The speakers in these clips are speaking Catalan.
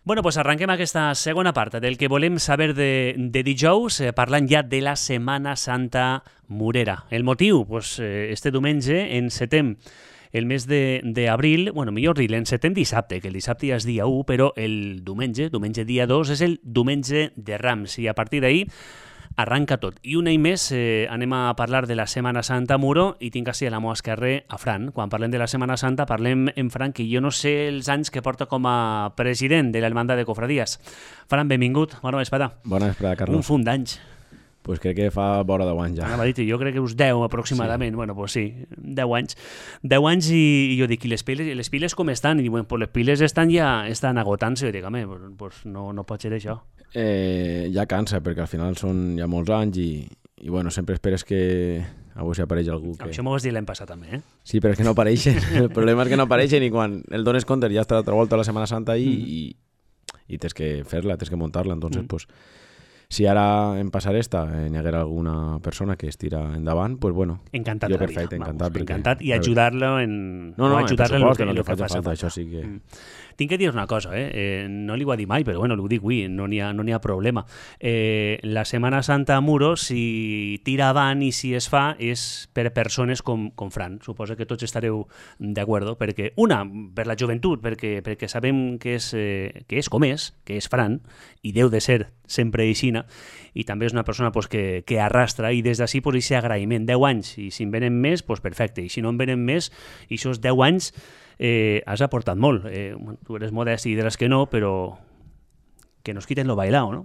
Bueno, pues arrenquem aquesta segona part del que volem saber de dijous, parlant ja de la Setmana Santa Morera. El motiu? Pues, este diumenge encetem el mes d'abril, bueno, millor dir, l'encetem dissabte, que el dissabte ja és dia 1, però el diumenge dia 2, és el diumenge de Rams, i a partir d'ahir arranca tot. I un any més anem a parlar de la Setmana Santa a Muro i tinc així a la meva esquerra a Fran. Quan parlem de la Setmana Santa parlem en Fran, que jo no sé els anys que porta com a president de l'Hermandad de Cofradías. Fran, benvingut. Bona vesprada. Bona vesprada, Carlos. Un fum d'anys. Pues crec que fa vora 10 anys ja. Anava a dir, jo crec que uns 10 aproximadament. Sí. Bueno, pues sí, 10 anys. 10 anys i jo dic, i les piles com estan? I bueno, pues les piles estan agotant-se. Jo dic, home, pues no pot ser això. Ja cansa, perquè al final són ja molts anys i bueno, sempre esperes que avui s'apareix algú que... Això m'ho vas dir l'any passat també, eh? Sí, però és que no apareixen. El problema és que no apareixen i quan el dones compte ja està l'altra volta a la Setmana Santa i tens que fer-la, tens que muntar-la. Entonces, pues, si ara en passar n'hi haguera alguna persona que es tira endavant, pues bueno. Encantat jo de la perfecte, vida. encantat. Encantat i ajudar-lo en... No, ajudar-lo en el que faci falta. Això sí que... Tinc que dir una cosa, no li ho ha dit mai, però bueno, ho dic avui, no n'hi ha problema. La Setmana Santa a Muro, si tira avant i si es fa, és per persones com Fran. Suposo que tots estareu d'acord, perquè, una, per la joventut, perquè sabem que és com és, que és Fran, i deu de ser sempre aixina, i també és una persona pues, que arrastra, i des d'ací pues, aquest agraïment, 10 anys, i si en venen més, pues, perfecte, i si no en venen més, i això és 10 anys, has aportat molt. Tu eres modest i diràs que no, però que nos quiten lo bailao, no?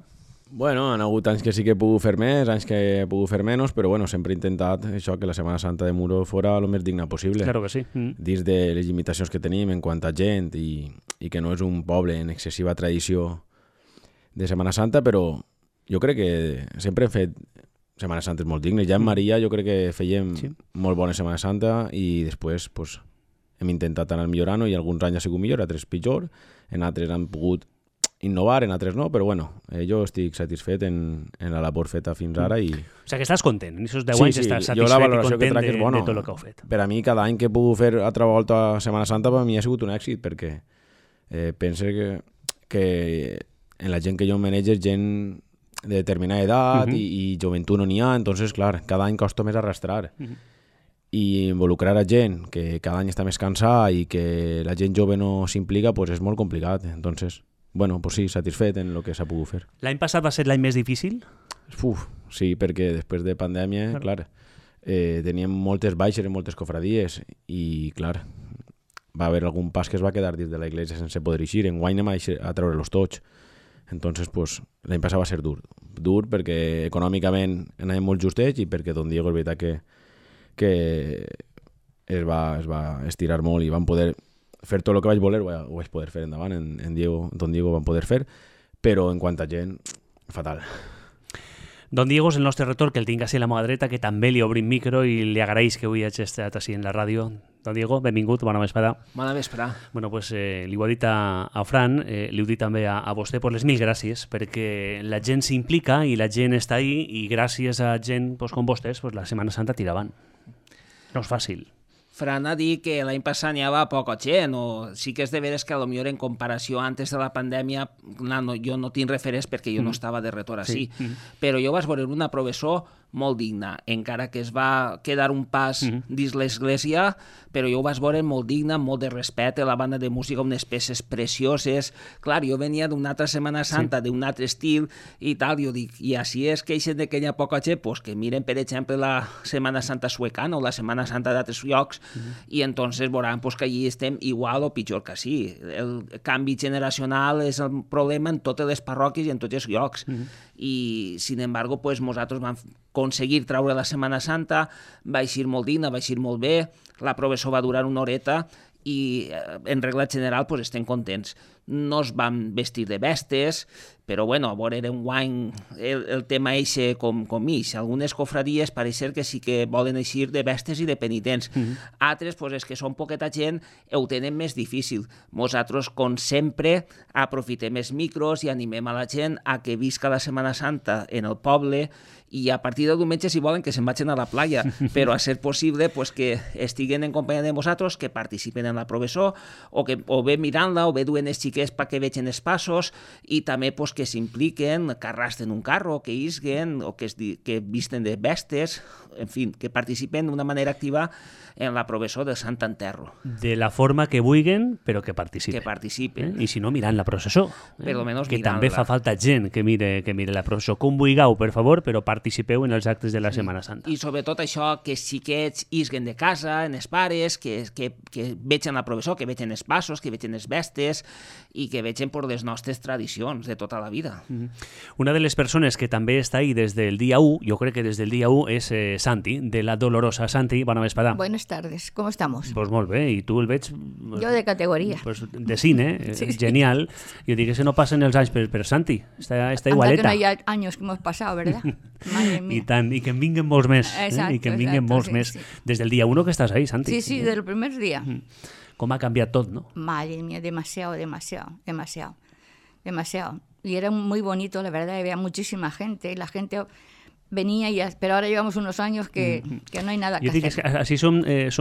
Bueno, han hagut anys que sí que he pogut fer més, anys que he pogut fer menys, però bueno, sempre he intentat això, que la Setmana Santa de Muro fora el més digna possible. Claro que sí. Dins de les limitacions que tenim en quant a gent i que no és un poble en excessiva tradició de Setmana Santa, però jo crec que sempre hem fet Setmana Santes molt dignes. Ja en Maria jo crec que fèiem molt bona Setmana Santa i després pues, hem intentat anar millorant i alguns anys ha sigut millor, altres pitjor, en altres han pogut innovar, en altres no, però bueno, jo estic satisfet en la labor feta fins ara i... O sigui que estàs content, en aquests 10 anys estàs satisfet i content de tot el que heu fet. Per a mi, cada any que he pogut fer altra volta a Setmana Santa, per a mi ha sigut un èxit, perquè penso que en la gent que jo manejo és gent de determinada edat i joventut no n'hi ha, entonces, clar, cada any costa més arrastrar. I involucrar a gent que cada any està més cansada i que la gent jove no s'implica, pues és molt complicat. Entonces, bueno, pues sí, satisfet en el que s'ha pogut fer. L'any passat va ser l'any més difícil? Sí, perquè després de pandèmia, clar, teníem moltes baixes en moltes cofradies i, clar, va haver algun pas que es va quedar dins de la iglesia sense poder eixir. Enguany anem a treure-los tots. Entonces, pues, l'any passat va ser dur. Dur perquè econòmicament anàvem molt justets i perquè Don Diego és veritat que es va estirar molt i van poder fer tot el que vaig voler, ho vaig poder fer endavant, Don Diego van poder fer, però en quant a gent, fatal. Don Diego és el nostre retor, que el tinc així a la meva dreta, que també li obrim micro i li agraeix que avui hagi estat així en la ràdio. Don Diego, benvingut, bona vesprada. Bona vesprada. Bueno, pues li ho he dit a Fran, li ho he dit també a vostè, pues les mil gràcies, perquè la gent s'implica i la gent està ahí i gràcies a gent pues, com vostès, pues, la Setmana Santa tira avant. No és fàcil. Fran ha dit que l'any passat n'hi havia poca gent, o sí que és de veres que potser en comparació antes de la pandèmia, jo no tinc referents perquè jo no estava de retor així, però jo vaig veure una professor molt digna, encara que es va quedar un pas dins l'església, però jo ho vaig veure molt digna, molt de respecte, la banda de música, unes peces precioses. Clar, jo venia d'una altra Setmana Santa, d'un altre estil i tal, jo dic, i així es queixen de que hi ha poca gent, pues que miren, per exemple, la Setmana Santa suecana o la Setmana Santa d'altres llocs, i entonces veuran pues, que allí estem igual o pitjor que sí. El canvi generacional és el problema en totes les parròquies i en tots els llocs. I, sin embargo, pues, nosaltres vam aconseguir treure la Setmana Santa, va eixir molt digna, va eixir molt bé, la professor va durar una horeta i en regla general pues, estem contents. No es van vestir de bestes, però bueno, a veure, era un guany el tema eixe com ix. Algunes cofradies pareix ser que sí que volen eixir de bestes i de penitents. Altres, pues, és que són poqueta gent, ho tenen més difícil. Nosaltres, com sempre, aprofitem els micros i animem a la gent a que visca la Setmana Santa en el poble i a partir del diumenge, si volen, que se'n vagin a la playa, però a ser possible pues, que estiguen en companyia de vosaltres, que participen en la professó, o bé mirant-la, o bé duen els xiquets xiquets perquè vegin els passos i també pues, que s'impliquen, que arrastren un carro, que isguen o que visten de bestes, en fi, que participen d'una manera activa en la processó de Sant Enterro. De la forma que vulguin, però que participen. Que participen. I si no, mirant la processó. Per lo menos que mirant-la. també fa falta gent que mire la processó. Com vulgueu, per favor, però participeu en els actes de la Setmana Santa. I sobretot això, que els xiquets isguen de casa, en els pares, que vegin la processó, que vegin els passos, que vegin els bestes i que vegin per les nostres tradicions de tota la vida. Una de les persones que també està ahí des del dia 1, jo crec que des del dia 1, és Santi, de la Dolorosa. Santi, bona vesprada. Buenas tardes, ¿cómo estamos? Pues molt bé, i tu el veig... Yo de categoría. Pues de cine, Sí. genial. Jo dic que se no passen els anys, però Santi, està igualeta. Anda que no hay años que hemos pasado, ¿verdad? Madre mía. I tant, i que en vinguen molts més. Exacto, I que en vinguen exacto, molts sí, més. sí. Des del dia 1 que estàs ahí, Santi. Sí, sí, del primer día. Com ha canviat tot, no? Madre mía, demasiado. Y era muy bonito, la verdad, había muchísima gente, y la gente venía, pero ahora llevamos unos años que no hay nada que Jo dic hacer. que així som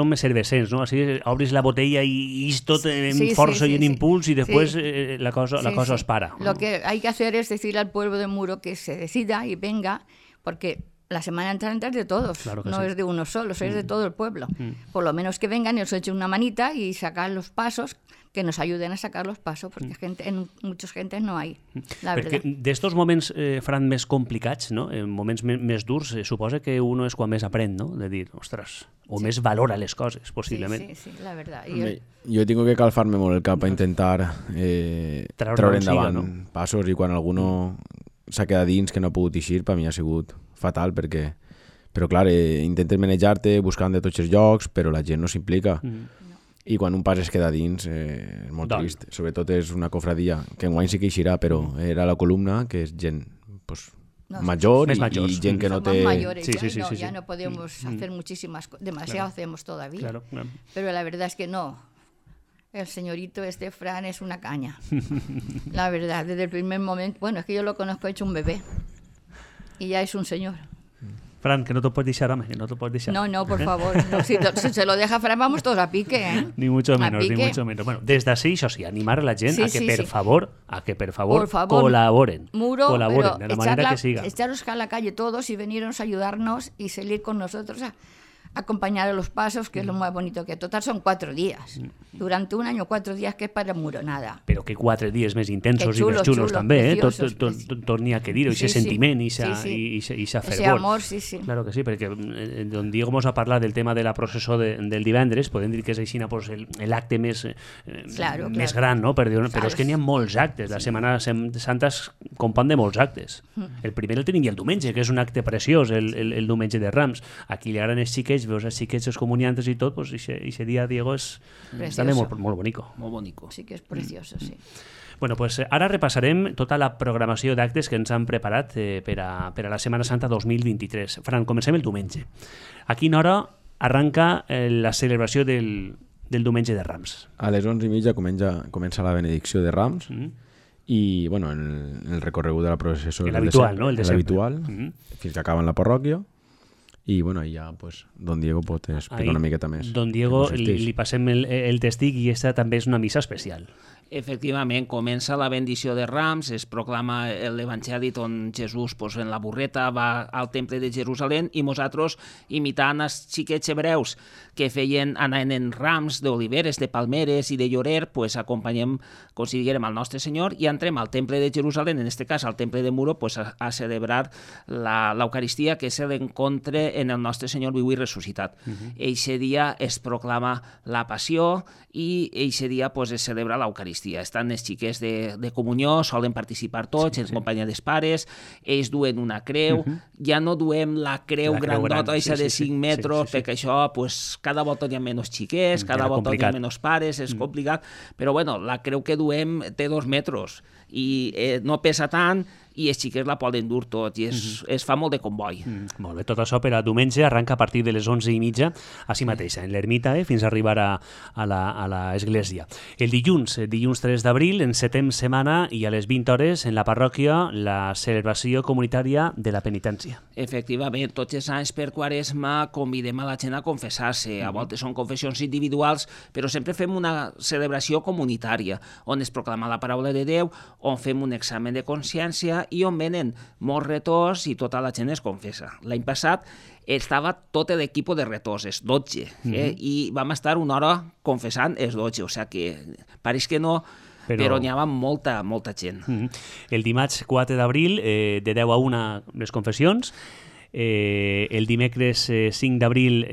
més cervesents, no? Així obris la botella i és tot en Sí, força sí, i en sí. impuls i després Sí. la cosa Sí. es para. Lo que hay que hacer es decirle al pueblo de Muro que se decida y venga, porque la Semana Santa es de todos, Claro que no sí. es de uno solo, es de todo el pueblo. Por lo menos que vengan y nos echen una manita y sacar los pasos, que nos ayuden a sacar los pasos, porque en muchas gentes no hay, la Perquè verdad. d'estos moments, Fran, més complicats, no? En moments més durs, suposa que uno és quan més aprèn, no? De dir, ostres, o més valora les coses, possiblement. Sí, la verdad. Jo tinc que calfar-me molt el cap a intentar treure endavant no? passos i quan alguno s'ha quedat dins que no ha pogut eixir, per mi ha sigut fatal perquè... Però clar, intentes manejar-te buscant de tots els llocs, però la gent no s'implica. I quan un pas es queda dins és molt trist. Sobretot és una cofradia que enguany sí que eixirà, però era la columna, que és gent pues, major Més i majors. gent que no Somos té... mayores Sí, ya, sí, sí, sí, ya sí. no podemos hacer muchísimas cosas, demasiado hacemos todavía. Claro. Pero la verdad es que no. El señorito Fran es una caña. La verdad, desde el primer momento. Bueno, es que yo lo conozco hecho un bebé. Y ya es un señor. Fran, que no te puedes deixar, home, que no te puedes deixar. No, por favor. No, si se lo deja Fran, vamos todos a pique, ¿eh? Ni mucho A menos, ni pique. mucho menos. Bueno, des d'ací, això sí, animar a la gent Sí, a que, sí, per sí. favor, Por favor, colaboren. Muro, Colaboren, pero de la manera que siga. echaros a la calle todos y veniros a ayudarnos y salir con nosotros a acompañar a los pasos, que es lo más bonito, que total son 4 días. Durante un año, 4 días, que es para Muro, nada. Però que 4 dies més intensos Que i més xulos, xulos xulos, també, preciosos, tot n'hi ha que dir-ho, Sí, aquest sí. sentiment i Sí, sí. aquesta Ese fervor. amor, sí, sí. Claro que sí, perquè don Diego mos ha parlat del tema de la processó del divendres, podem dir que és així pues, l'acte més, Claro, més claro. gran, no? Però Claro. és que n'hi ha molts actes, la Setmana Santa es compon de molts actes. El primer el tenim ja el diumenge, que és un acte preciós, el diumenge de Rams. Aquí li agraden els xiquets, veus els xiquets, els comuniantes i tot, pues, ese dia, Diego, és també molt bonico. Molt bonico. Sí que es precioso, sí. Bueno, pues ara repassarem tota la programació d'actes que ens han preparat per a la Setmana Santa 2023. Fran, comencem el diumenge. A quina hora arranca la celebració del diumenge de Rams? A les 11:30 comença la benedicció de Rams i bueno, el recorregut de la processó L'habitual, no? El de sempre. l'habitual, fins que acaba en la parròquia i bueno, ja pues, don Diego pot explicar una miqueta més. Don Diego, que consisteix. li passem el testig i aquesta també és una missa especial. Efectivament, comença la bendició de Rams, es proclama l'Evangeli on Jesús pues, en la burreta va al temple de Jerusalem i nosaltres, imitant els xiquets hebreus que anaven en rams d'oliveres, de palmeres i de llorer, pues, acompanyem, com si diguérem, al nostre Senyor i entrem al temple de Jerusalem, en aquest cas al temple de Muro, pues, a celebrar l'Eucaristia, que és l'encontre en el nostre Senyor viu i ressuscitat. Eixe dia es proclama la passió i eixe dia pues, es celebra l'Eucaristia. Estan els xiquets de comunió, solen participar tots, en companyia dels pares, ells duen una creu, ja no duem la creu grandota, eixa de 5 metres, perquè això, pues, cada volta hi ha menys xiquets, cada volta hi ha menys pares, és complicat, però bueno, la creu que duem té 2 metres i no pesa tant i els xiquets la poden dur tot i es fa molt de comboi. Molt bé, tot això per a diumenge arranca a partir de les 11:30 així mateix, en l'ermita, fins a arribar a l'església. El dilluns 3 d'abril, encetem setmana i a les 20 hores en la parròquia la celebració comunitària de la penitència. Efectivament, tots els anys per Quaresma convidem a la gent a confessar-se. A voltes són confessions individuals, però sempre fem una celebració comunitària, on es proclama la paraula de Déu, on fem un examen de consciència i on venen molts retors i tota la gent es confessa. L'any passat estava tot l'equip de retors, els 12, i vam estar una hora confessant els 12, o sigui que pareix que no, però n'hi havia molta gent. El dimarts 4 d'abril, de 10 a 1 les confessions, el dimecres 5 d'abril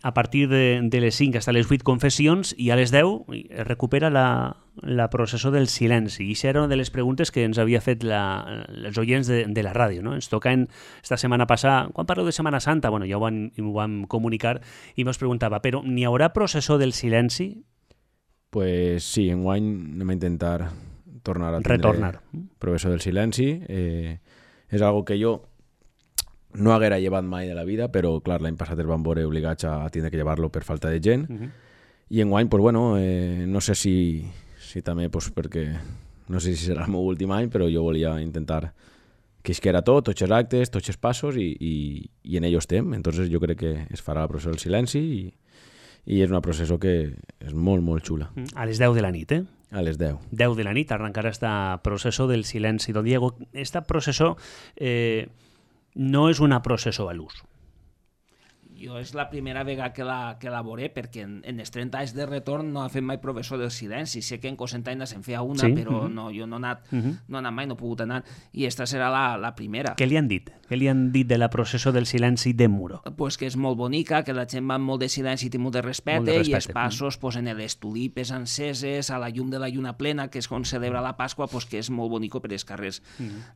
a partir de les 5 fins a les 8 confessions i a les 10 es recupera la processó del silenci. I això era una de les preguntes que ens havia fet els oients de la ràdio. No? Ens toca esta setmana passada, quan parleu de Setmana Santa, bueno, ja ho vam comunicar i ens preguntava, però n'hi haurà processó del silenci? Pues sí, enguany anem a intentar tornar a tindre processó del silenci. És algo que jo no haguera llevat mai de la vida, però clar, l'any passat es van veure obligats a tindre que llevar-lo per falta de gent. I enguany, pues bueno, no sé si també, pues perquè no sé si serà el meu últim any, però jo volia intentar que isquera tots els actes, tots els passos i en ells estem. Entonces jo crec que es farà la processó del silenci i és una processó que és molt, molt xula. A les 10 de la nit, A les 10. 10 de la nit arrencarà esta processó del silenci. Don Diego, esta processó no és una processó a l'ús. Jo és la primera vegada que la veuré, perquè en els 30 anys de retorn no ha fet mai professor del silenci. Sé que en Cocentaina se'n feia una, però no, jo no he anat mai, no he pogut anar, i esta serà la primera. Què li han dit? Què li han dit de la processó del silenci de Muro? Pues que és molt bonica, que la gent va amb molt de silenci i molt de respecte, i els passos posen les tulipes enceses a la llum de la lluna plena, que és on celebra la Pasqua, pues que és molt bonico per els carrers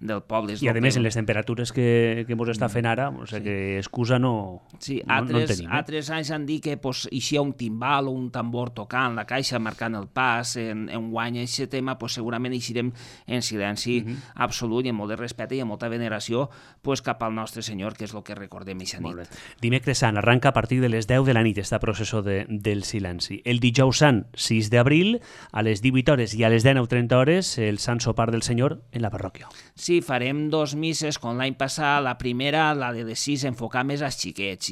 del poble. I a més, en les temperatures que mos està fent ara, o sigui que excusa no... Sí, altres anys han dit que eixia un timbal o un tambor tocant la caixa, marcant el pas. En guany aquest tema segurament eixirem en silenci absolut i amb molt de respecte i amb molta veneració cap al nostre Senyor, que és el que recordem aquesta nit. Dimecres Sant arranca a partir de les 10 de la nit esta processó del silenci. El dijous Sant, 6 d'abril, a les 18 hores i a les 19:30 hores, el Sant Sopar del Senyor en la parròquia. Sí, farem 2 misses, com l'any passat. La primera, la de les 6, enfocar més als xiquets,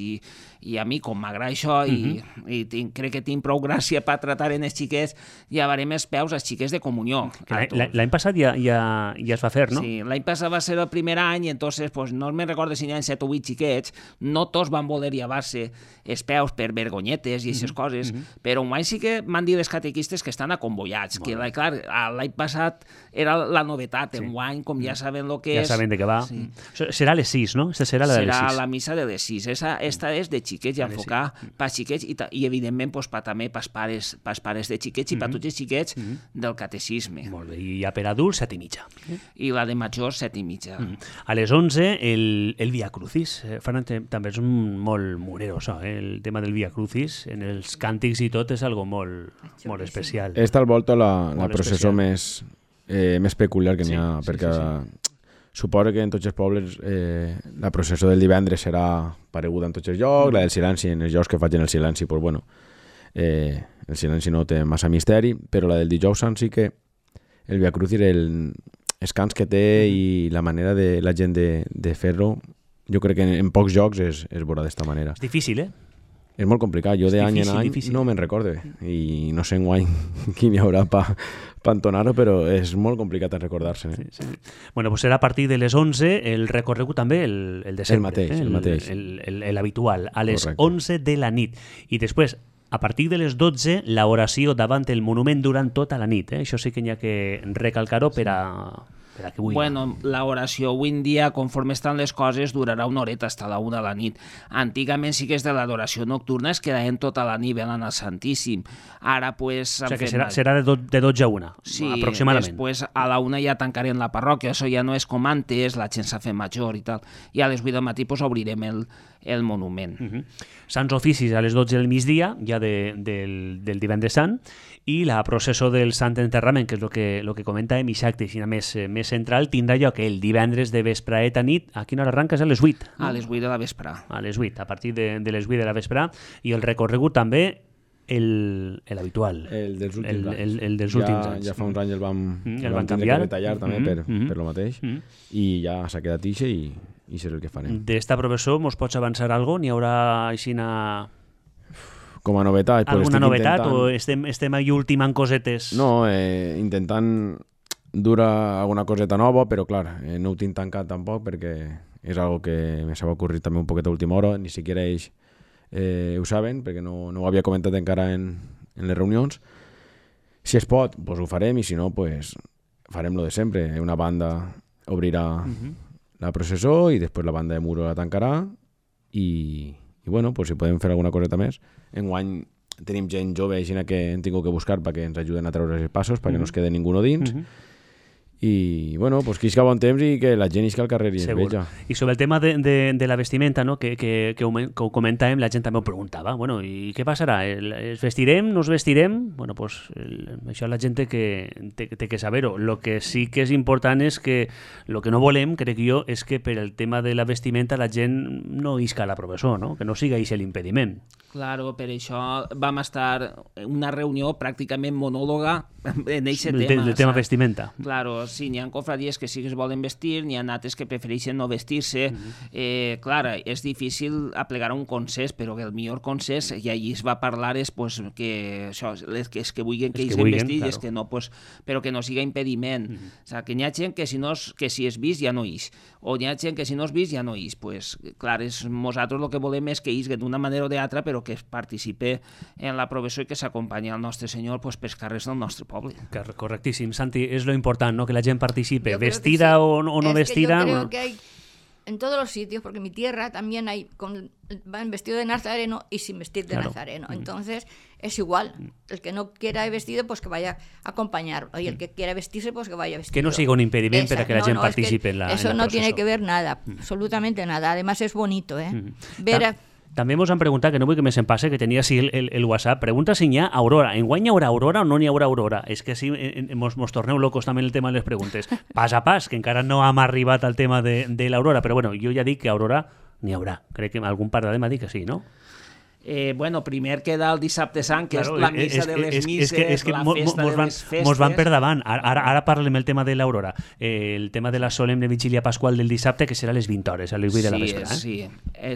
i a mi, com m'agrada això, i crec que tinc prou gràcia per tratar en els xiquets, llevarem els peus als xiquets de comunió. L'any passat ja es va fer, no? Sí, l'any passat va ser el primer any, i entonces no me'n recordo si n'hi ha 7 o 8 xiquets, no tots van voler llevar-se els peus per vergonyetes i aquestes coses, però un any sí que m'han dit els catequistes que estan acomboiats, que clar, l'any passat era la novetat, en guany, com ja saben el que és... Ja saben de què va. Serà a les 6, no? Serà la de les 6. Serà la missa de les 6. Esta és de xiquets i enfocar per xiquets i evidentment també pels pares de xiquets i per tots els xiquets del catecisme. Molt bé, i ja per adults 7:30. I la de majors 7:30. A les 11 el Via Crucis. També és molt murero això, el tema del Via Crucis, en els càntics i tot és algo molt especial. Esta al volta la processó més peculiar que n'hi ha, perquè suposo que en tots els pobles la processó del divendres serà pareguda en tots els llocs, la del silenci en els llocs que facin el silenci, pues bueno, el silenci no té massa misteri, però la del dijous Sant sí que el Via Crucis, els cants que té i la manera de la gent de fer-lo, jo crec que en pocs jocs es veurà d'esta manera. És difícil, És molt complicat, jo d'any en any no me'n recorde i no sé enguany quin hi haurà per entonar-ho, però és molt complicat en recordar-se. Sí. Bueno, pues serà a partir de les 11 el recorregut també, el de sempre. El mateix. L'habitual, a les 11 de la nit. I després, a partir de les 12, l'oració davant el monument durant tota la nit. Això sí que n'hi ha que recalcar-ho per a que avui... Bueno, l'oració avui en dia, conforme estan les coses, durarà una horeta, fins a la 1 de la nit. Antigament sí que és de l'adoració nocturna, es quedaven tota la nit velant al Santíssim. Ara, pues... O sigui que serà de 12 a 1, sí, aproximadament. Després a la 1 ja tancarem la parròquia, això ja no és com antes, la gent s'ha fet major i tal. I a les 8 del matí pues, obrirem el monument. Sants oficis a les 12 del migdia, ja del divendres Sant, i la processó del Sant Enterrament, que és el que comentàvem, i acte així més central tindrà lloc el divendres de vespraeta nit. A quina hora arranques? A les 8? A les 8 de la vespre. A les 8, a partir de les 8 de la vespre. I el recorregut també l'habitual. El dels últims anys. El dels últims anys. Ja fa uns anys el vam canviar. Que retallar també per lo mateix. I ja s'ha quedat ixe i serà el que farem. D'esta professor mos pots avançar alguna cosa? N'hi haurà aixina... Com a novetat? Alguna novetat o estem aquí ultimant cosetes? No, intentant durar alguna coseta nova, però clar, no ho tinc tancat tampoc perquè és algo que me s'ha ocorrit també un poquet a última hora, ni siquiera ells ho saben, perquè no ho havia comentat encara en les reunions. Si es pot, pues ho farem, i si no, pues farem lo de sempre. Una banda obrirà la processó i després la banda de Muro la tancarà i bueno, pues si podem fer alguna coseta més. Enguany tenim gent jove així que hem tingut que buscar perquè ens ajuden a treure els passos, perquè no es quede ningú dins. I bueno, pues que isca bon temps i que la gent isca al carrer i es veja. I sobre el tema de la vestimenta, no? que ho comentàvem, la gent també ho preguntava, bueno, i què passarà? Es vestirem? No es vestirem? Bueno, pues això la gent té que saber-ho. Lo que sí que és important és que el que no volem, crec jo, és que per el tema de la vestimenta la gent no isca a la professor, no? Que no siga això l'impediment. Claro, per això vam estar en una reunió pràcticament monòloga en aquest tema. El tema vestimenta. Claro, sí, n'hi ha cofradies que sí que es volen vestir, n'hi ha altres que prefereixen no vestir-se. Clar, és difícil aplegar un consens, però el millor consens, i allí es va parlar, és pues, que això, és que vulguin que ells vestir, claro. És que no, pues, però que no siga impediment. O sigui, que n'hi ha gent que si és vist ja no ix, o n'hi ha gent que si no és vist ja no ix. Pues, clar, nosaltres el que volem és que isguen d'una manera o d'altra, però que participe en la professió i que s'acompanyi al nostre Senyor pues, pels carrers del nostre poble. Correctíssim, Santi, és lo important, ¿no? Que la gent participe, vestida sí. o no vestida. Que yo creo que hay en todos los sitios, porque en mi tierra también hay van vestido de nazareno y sin vestir de nazareno. Entonces es igual. El que no quiera ir vestido, pues que vaya a acompañar. Y el que quiera vestirse, pues que vaya vestido. Que no siga un impedimento para que la gente participe en la eso en no tiene que ver nada, absolutamente nada. Además es bonito, ver També ens han preguntat, que no vull que me se'n passe, que tenia així el WhatsApp, pregunta si n'hi ha aurora. Enguany hi haurà aurora o no n'hi haurà aurora? És que si mos torneu locos també en el tema de les preguntes. Pas a pas, que encara no hem arribat al tema de l'aurora, però bueno, jo ja dic que aurora n'hi haurà. Crec que algun parlarem m'ha dit que sí, no? Bueno, primer queda el dissabte sant, que és la missa de les misses, la festa de les festes. Mos van per davant. Ara parlem el tema de l'aurora. El tema de la solemne vigília pasqual del dissabte, que serà a les 20 hores, a les 8 de la vespre. Sí,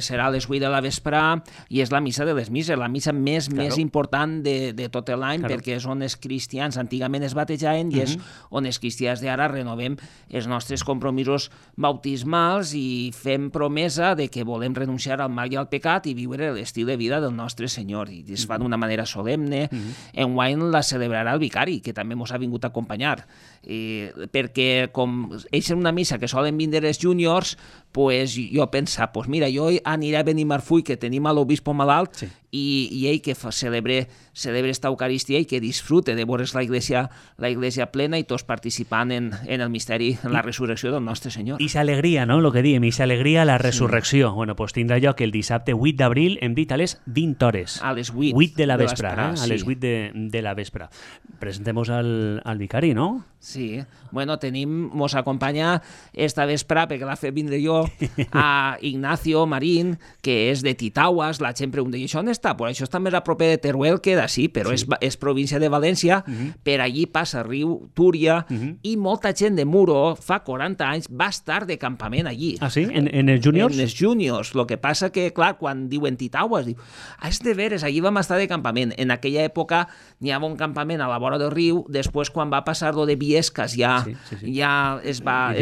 serà a les 8 de la vespre i és la missa de les misses, la missa més important de tot l'any, perquè és on els cristians antigament es batejaven i és on els cristians d'ara renovem els nostres compromisos bautismals i fem promesa de que volem renunciar al mal i al pecat i viure l'estil de vida del nostre Senyor, i es fa d'una manera solemne. Enguany la celebrarà el vicari, que també ens ha vingut a acompanyar, perquè com és una missa que solen vindre els júniors, pues jo pensava, pues mira, jo aniré a Benimarfull, que tenim a l'obispo malalt, i ell que celebre esta Eucaristia i que disfrute de veure's la iglesia plena i tots participant en el misteri, en la resurrecció del nostre Senyor. I s'alegria, no?, el que diem, i s'alegria a la resurrecció. Bueno, pues tindrà lloc el dissabte 8 d'abril, hem dit a les 20 hores. A les 8. 8 de la vespre, a les 8 de la vespre. Presentem-nos al vicari, no? Sí. Bueno, mos acompanya esta vespre, perquè l'ha fet vindre jo, a Ignacio Marín, que és de Titauas. La gent pregunta, i això on està? Pues això està més a proper de Teruel que d'ací, però és província de València, per allí passa riu Túria, i molta gent de Muro, fa 40 anys, va estar de campament allí. Ah, sí? En els júniors? En els júniors. Lo que passa que, clar, quan diuen Titauas, diu, és de veres, allí vam estar de campament. En aquella època n'hi havia un campament a la vora del riu, després quan va passar lo de Viescas ja es va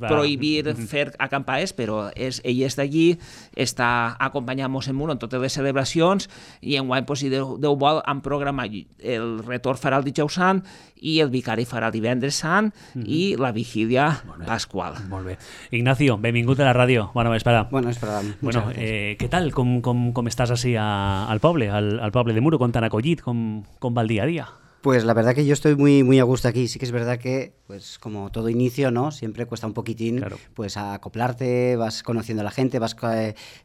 prohibir fer acampades, però ell és d'allí, està acompanyant-nos en Muro en totes les celebracions, i enguany, si Déu vol, han programat el retorn farà el dijous sant i el vicari farà el divendres sant i la vigília pasqual. Molt bé. Ignacio, benvingut a la ràdio. Bona vesprada. Bona vesprada. Bueno, què tal? Com estàs així al poble de Muro? Com t'han acollit? Com va el dia a dia? Pues la verdad que yo estoy muy a gusto aquí. Sí que es verdad que, pues como todo inicio, ¿no? Siempre cuesta un poquitín, claro, pues acoplarte, vas conociendo a la gente, vas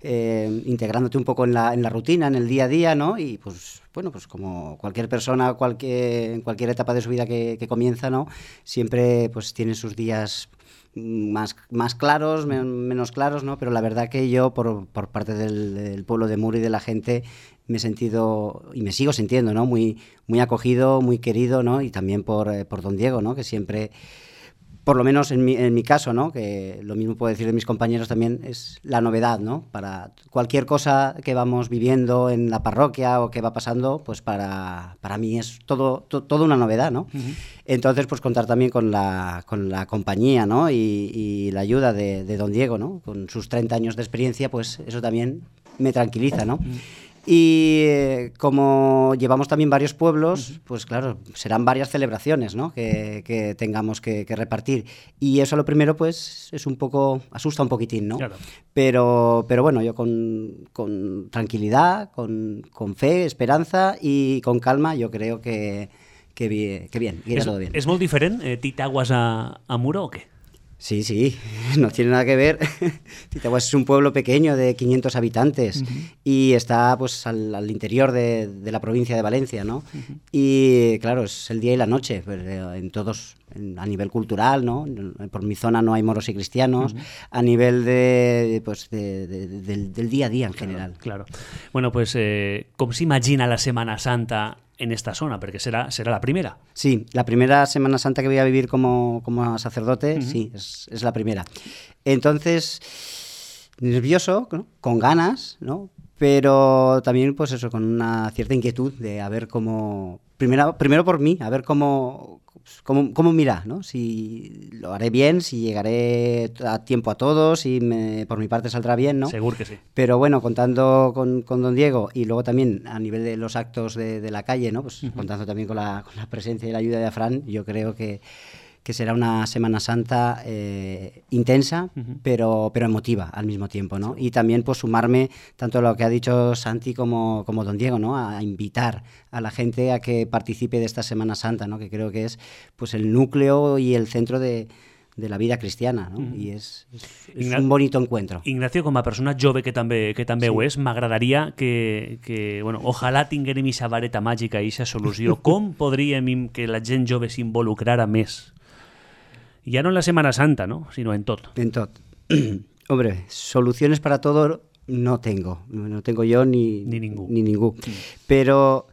integrándote un poco en la rutina, en el día a día, ¿no? Y pues bueno, pues como cualquier persona, en cualquier etapa de su vida que comienza, ¿no? Siempre pues tiene sus días más claros, menos claros, ¿no? Pero la verdad que yo, por parte del pueblo de Muro y de la gente, me he sentido, y me sigo sintiendo, ¿no? Muy acogido, muy querido, ¿no? Y también por don Diego, ¿no? Que siempre, por lo menos en mi caso, ¿no? Que lo mismo puedo decir de mis compañeros también, es la novedad, ¿no? Para cualquier cosa que vamos viviendo en la parroquia o que va pasando, pues para mí es todo una novedad, ¿no? Uh-huh. Entonces, pues contar también con la compañía, ¿no? Y la ayuda de don Diego, ¿no? Con sus 30 años de experiencia, pues eso también me tranquiliza, ¿no? Uh-huh. Y como llevamos también varios pueblos, pues claro, serán varias celebraciones, ¿no? que tengamos que repartir. Y eso lo primero, pues, es un poco, asusta un poquitín, ¿no? Claro. Pero bueno, yo con tranquilidad, con fe, esperanza y con calma, yo creo que bien, irá todo bien. ¿Es muy diferente Titaguas a Muro o qué? Sí, no tiene nada que ver. Titaguas es un pueblo pequeño de 500 habitantes uh-huh. y está pues al interior de la provincia de Valencia, ¿no? Uh-huh. Y claro, es el día y la noche, pues, a nivel cultural, ¿no? Por mi zona no hay moros y cristianos, uh-huh. a nivel del día a día en general. Claro. Bueno, pues ¿cómo se imagina la Semana Santa en esta zona? Porque será la primera. Sí, la primera Semana Santa que voy a vivir como sacerdote, uh-huh. sí, es la primera. Entonces, nervioso, ¿no? Con ganas, ¿no? Pero también, pues eso, con una cierta inquietud de a ver cómo... Primero por mí, a ver cómo mira, ¿no? Si lo haré bien, si llegaré a tiempo a todos, si por mi parte saldrá bien, ¿no? Seguro que sí. Pero bueno, contando con don Diego y luego también a nivel de los actos de la calle, ¿no? Pues uh-huh. contando también con la presencia y la ayuda de Afrán, yo creo que será una Semana Santa intensa, uh-huh. pero emotiva al mismo tiempo, ¿no? Sí. Y también pues sumarme tanto a lo que ha dicho Santi como don Diego, ¿no? A invitar a la gente a que participe de esta Semana Santa, ¿no? Que creo que es pues el núcleo y el centro de la vida cristiana, ¿no? Uh-huh. I és un bonito encuentro. Ignacio, com a persona jove que també sí. Ho és, m'agradaria que bueno, ojalà tinguérem aquesta vareta màgica i aquesta solució. Com podríem que la gent jove s'involucrara més? Ya no en la Semana Santa, ¿no? Sino en todo. En todo. Hombre, soluciones para todo no tengo. No tengo yo ni ningún. Pero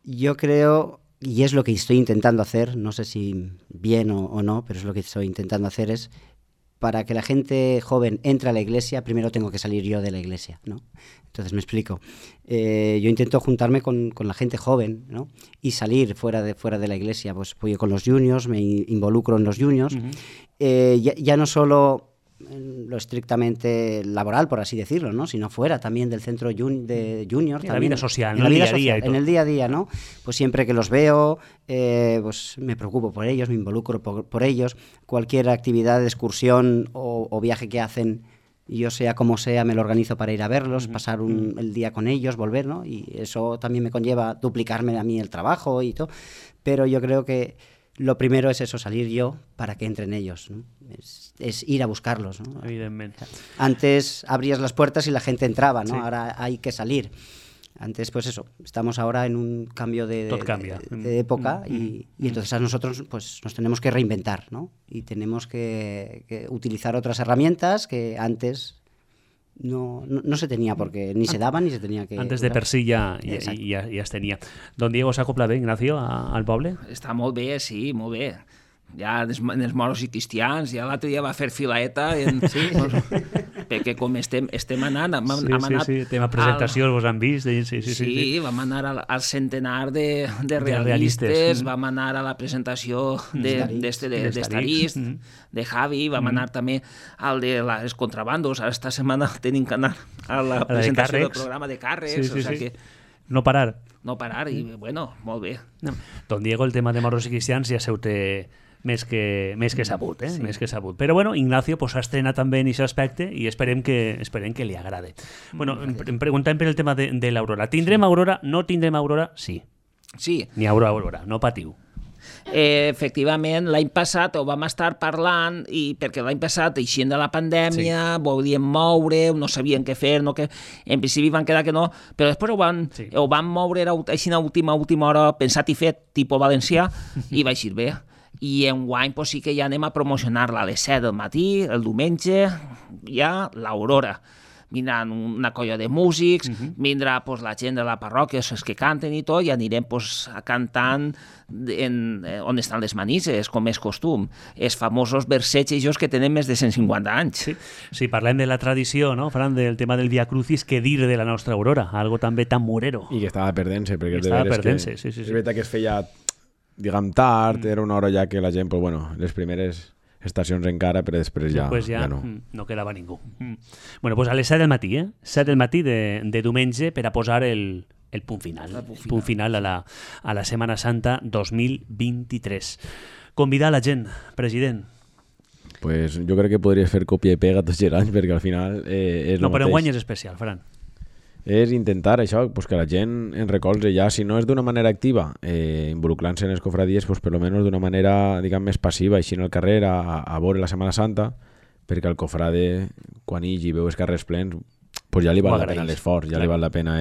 yo creo, y es lo que estoy intentando hacer, no sé si bien o no, pero es lo que estoy intentando hacer, es para que la gente joven entre a la iglesia, primero tengo que salir yo de la iglesia, ¿no? Entonces me explico. Yo intento juntarme con la gente joven, ¿no? Y salir fuera de la iglesia. Pues voy con los juniors, me involucro en los juniors. Uh-huh. Ya no solo en lo estrictamente laboral, por así decirlo, ¿no? Sino fuera también del centro de juniors. En la vida social, en el día a día. En el día a día, ¿no? Pues siempre que los veo, pues me preocupo por ellos, me involucro por ellos. Cualquier actividad de excursión o viaje que hacen, yo sea como sea, me lo organizo para ir a verlos, uh-huh. pasar el día con ellos, volver, ¿no? Y eso también me conlleva duplicarme a mí el trabajo y todo. Pero yo creo que lo primero es eso, salir yo para que entren ellos, ¿no? Es ir a buscarlos, ¿no? Evidentemente. Antes abrías las puertas y la gente entraba, ¿no? Sí. Ahora hay que salir. Antes, pues eso, estamos ahora en un cambio de época y entonces a nosotros pues nos tenemos que reinventar, ¿no? Y tenemos que utilizar otras herramientas que antes no se tenía, porque ni se daban ni se tenía que... Antes de per si ja es tenia. Don Diego s'acopla bé, Ignacio, al poble? Està molt bé, sí, molt bé. Ja els moros i cristians, ja l'altre dia va fer filaeta, sí. Perquè com estem anant... Sí, tema presentació, vos han vist? Sí, vam anar al centenar de realistes, vam anar a la presentació d'Estarís, de Javi, vam anar també al de les contrabandos, esta setmana tenim que anar a la presentació del programa de càrrecs, o sigui que... No parar, i bueno, molt bé. Don Diego, el tema de moros i cristians ja se ho té més que sabut, sí. Més que sabut. Però bueno, Ignacio pues, ha estrenat també en aquest aspecte i esperem que li agrade. Bueno, em preguntem per el tema de l'Aurora. Tindrem Aurora? No tindrem Aurora? Sí. Sí. N'hi haurà, no patiu. Efectivament, l'any passat ho vam estar parlant perquè l'any passat, eixint de la pandèmia, volíem moure, no sabien què fer, en principi van quedar que no, però després ho van moure així a última hora, pensat i fet, tipus valencià, i va eixir bé. I enguany sí que ja anem a promocionar-la a les 7 del matí, el diumenge, ja l'Aurora. Vindran una colla de músics, vindrà la gent de la parròquia, els que canten i tot, i anirem cantant on estan les manises, com és costum. Els famosos versets que tenen més de 150 anys. Sí, parlem de la tradició, no, Fran, del tema del Via Crucis, què dir de la nostra Aurora, algo també tan murero. I que estava perdent-se, perquè és veritat que es feia, diguem, tard, era una hora ja que la gent, les primeres estacions encara, però després ja no quedava ningú. Bueno, doncs a les 7 del matí, 7 del matí de diumenge, per a posar el punt final. Punt final a la Setmana Santa 2023. Convidar la gent, president. Pues jo crec que podries fer còpia i pega tots els anys, perquè al final és el mateix. No, però enguany és especial, Fran. És intentar això, que la gent en recolze ja, si no és d'una manera activa, involucrant-se en les cofradies, per almenys d'una manera, diguem, més passiva, així en el carrer, a veure la Setmana Santa, perquè el cofrade, quan hi veu els carrers plens, ja li val la pena l'esforç, ja li val la pena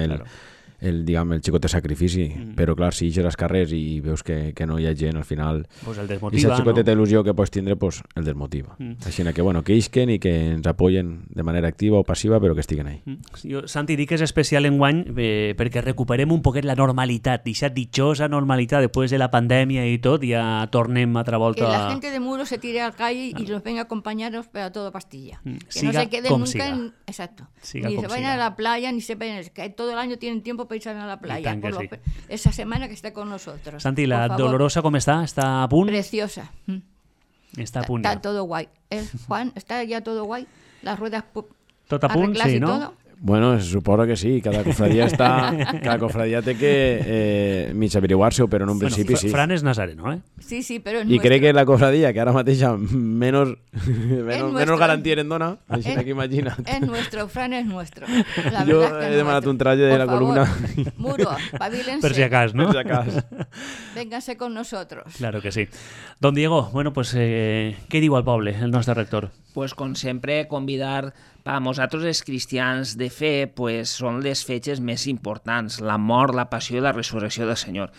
el xicot de sacrifici, però clar, si ixes als carrers i veus que no hi ha gent, al final el desmotiva, i si el xicot té il·lusió que pots tindre, el desmotiva. Així que isquen i que ens apoyen de manera activa o passiva, però que estiguen ahí. Jo, Santi, dic que és especial enguany perquè recuperem un poquet la normalitat, aquesta dichosa normalitat després de la pandèmia i tot, ja tornem altra volta. Que la gente de Muro se tire al calle y nos venga a acompañarnos para todo Pastilla. Que siga no se queden nunca siga. Exacto. Siga ni se vayan siga. a la playa, ni se vayan, que todo el año tienen tiempo para irse a la playa. Sí. Esa semana que esté con nosotros. Santi, la Dolorosa, ¿cómo está? ¿Está a punt? Preciosa. Está a punt. Está todo guay. Juan, ¿está ya todo guay? Las ruedas tot a punt, sí, no? Todo. Bueno, suposo que sí, cada cofradia té que mig averiguar-se, però en un principi sí. Fran és nazareno, Sí, però és I crec que la cofradia, que ara mateix menys garantia en dona, així que imagina't. És nuestro, Fran és nuestro. Jo he demanat un traje de la columna. Muro, pavílense. Per si acas, ¿no? Per si acas. Vénganse con nosotros. Claro que sí. Don Diego, bueno, pues, què diu al poble, el nostre rector? Pues, com sempre, convidar per a nosaltres els cristians de fe, pues, són les fetges més importants, la mort, la passió i la resurrecció del Senyor.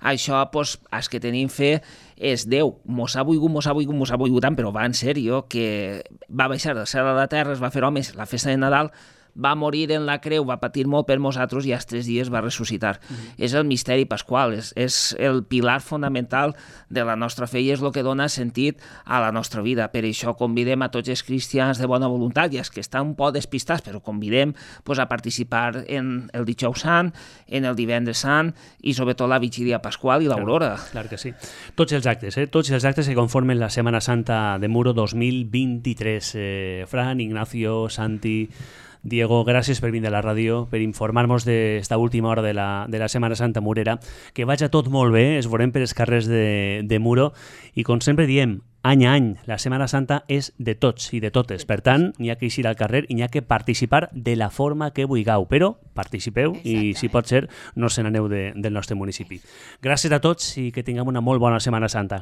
Això, pues, els que tenim fe, és Déu. Mos ha volgut tant, però va en sèrio, que va baixar del cel a la terra, es va fer homes la festa de Nadal, va morir en la creu, va patir molt per nosaltres i als 3 dies va ressuscitar. És el misteri pasqual, és el pilar fonamental de la nostra fe i és el que dona sentit a la nostra vida. Per això convidem a tots els cristians de bona voluntat i els que estan un poc despistats, però convidem a participar en el Dijous Sant, en el Divendres Sant i sobretot la Vigília Pasqual i l'Aurora. Clar que sí. Tots els actes que conformen la Setmana Santa de Muro 2023. Fran, Ignacio, Santi, Diego, gràcies per venir a la ràdio, per informar-nos d'esta última hora de la Setmana Santa Murera. Que vagi tot molt bé, es veurem per els carrers de Muro i com sempre diem, any a any, la Setmana Santa és de tots i de totes. Per tant, n'hi ha que eixir al carrer i n'hi ha que participar de la forma que vulgueu, però participeu i, si pot ser, no se n'aneu del nostre municipi. Gràcies a tots i que tinguem una molt bona Setmana Santa.